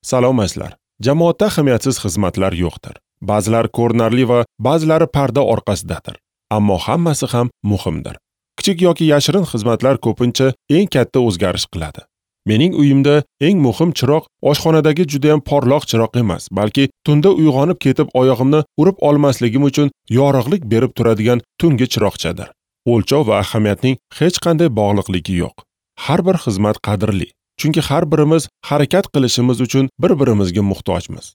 Salomatsizlar. Jamoatda ahamiyatsiz xizmatlar yo'qdir. Ba'zilar ko'rinarli va ba'zilari parda orqasidadir. Ammo hammasi ham muhimdir. Kichik yoki yashirin xizmatlar ko'pincha eng katta o'zgarish qiladi. Mening uyimda eng muhim chiroq oshxonadagi juda ham porloq chiroq emas, balki tunda uyg'onib ketib oyog'imni urib olmasligim uchun yorug'lik berib turadigan tungi chiroqchadir. O'lchov va ahamiyatning hech qanday bog'liqligi yo'q. Har bir xizmat qadrli, chunki har birimiz harakat qilishimiz uchun bir-birimizga muhtojmiz.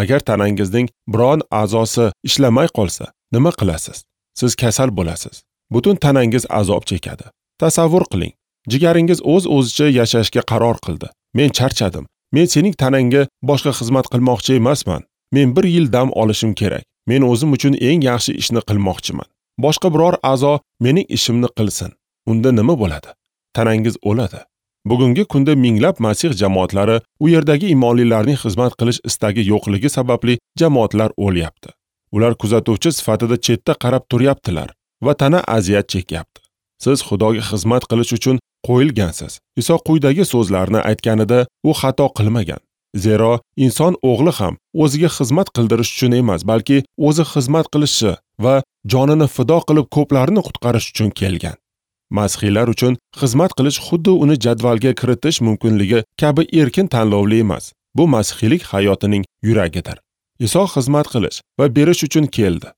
Agar tanangizning biron a'zosi ishlamay qolsa, nima qilasiz? Siz kasal bo'lasiz. Butun tanangiz azob chekadi. Tasavvur qiling, jigaringiz o'z-o'zicha yashashga qaror qildi. Men charchadim. Men sening tanangga boshqa xizmat qilmoqchi emasman. Men bir yil dam olishim kerak. Men o'zim uchun eng yaxshi ishni qilmoqchiman. Boshqa biror a'zo mening ishimni qilsin. Unda nima bo'ladi? Tanangiz o'ladi. Bugungi kunda minglab Masih jamoatlari u yerdagi imonlilarning xizmat qilish istagi yo'qligi sababli jamoatlar o'lyapti. Ular kuzatuvchi sifatida chetda qarab turyaptilar va tana aziyat chekyapti. Siz Xudoga xizmat qilish uchun qo'yilgansiz. Iso quyidagi so'zlarni aytganida u xato qilmagan. Zero inson o'g'li ham o'ziga xizmat qildirish uchun emas, balki o'zi xizmat qilishi va jonini fido qilib ko'plarni qutqarish uchun kelgan. Masihiylar uchun xizmat qilish xuddi uni jadvalga kiritish mumkinligi kabi erkin tanlovli emas. Bu masihiylik hayotining yuragidir. Iso xizmat qilish va berish uchun keldi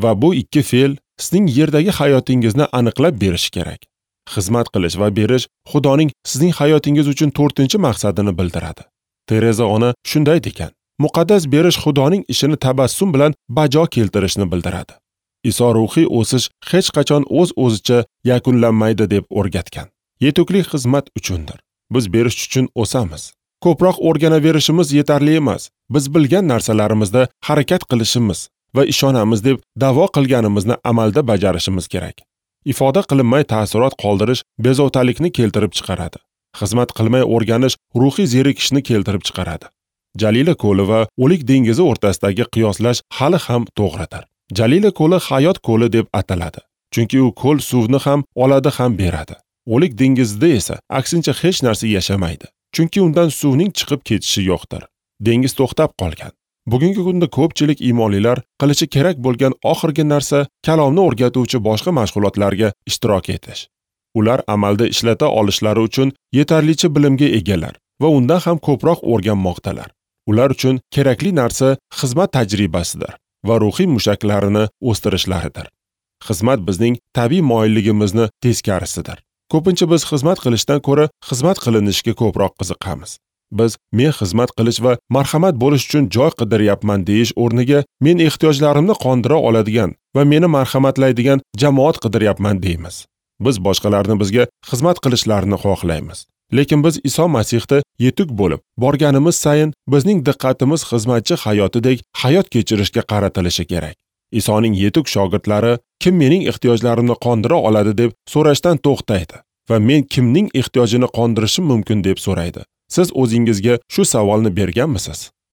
va bu ikki fe'l sizning yerdagi hayotingizni aniqlab berishi kerak. Xizmat qilish va berish Xudoning sizning hayotingiz uchun 4-maqsadini bildiradi. Tereza ona shunday degan: muqaddas berish Xudoning ishini tabassum bilan bajo keltirishni bildiradi. Iso ruhiy o'sish hech qachon o'z-o'zicha yakunlanmaydi deb o'rgatgan. Yetuklik xizmat uchundir. Biz berish uchun o'samiz. Ko'proq o'rganaverishimiz yetarli emas. Biz bilgan narsalarimizda harakat qilishimiz va ishonamiz deb da'vo qilganimizni amalda bajarishimiz kerak. Ifoda qilinmay ta'sirot qoldirish bezovtalikni keltirib chiqaradi. Xizmat qilmay o'rganish ruhiy zerikishni keltirib chiqaradi. Jalila ko'li va O'lik dengizi o'rtasidagi qiyoslash hali ham to'g'ridir. Jalila ko'li hayot ko'li deb ataladi, chunki u ko'l suvni ham oladi ham beradi. O'lik dengizida esa aksincha hech narsa yashamaydi, chunki undan suvning chiqib ketishi yo'qdir. Dengiz to'xtab qolgan. Bugungi kunda ko'pchilik imonlilar qilishi kerak bo'lgan oxirgi narsa kalomni o'rgatuvchi boshqa mashg'ulotlarga ishtirok etish. Ular amalda ishlata olishlari uchun yetarlicha bilimga egalar va undan ham ko'proq o'rganmoqdalar. Ular uchun kerakli narsa xizmat tajribasidir va ruhiy mushaklarini o'stirishlaridir. Xizmat bizning tabiiy moyilligimizni teskarisidir. Ko'pincha biz xizmat qilishdan ko'ra xizmat qilinishga ko'proq qiziqamiz. Biz men xizmat qilish va marhamat bo'lish uchun joy qidiryapman deyish o'rniga men ehtiyojlarimni qondira oladigan va meni marhamatlaydigan jamoat qidiryapman deymiz. Biz boshqalarni bizga xizmat qilishlarini xohlaymiz. Lekin biz Iso Masihda yetuk bo'lib borganimiz sayin bizning diqqatimiz xizmatchi hayotidek hayot kechirishga qaratilishi kerak. Isoning yetuk shogirdlari kim mening ehtiyojlarimni qondira oladi deb so'rashdan to'xtaydi va men kimning ehtiyojini qondirishim mumkin deb so'raydi. Siz o'zingizga shu savolni berganmisiz?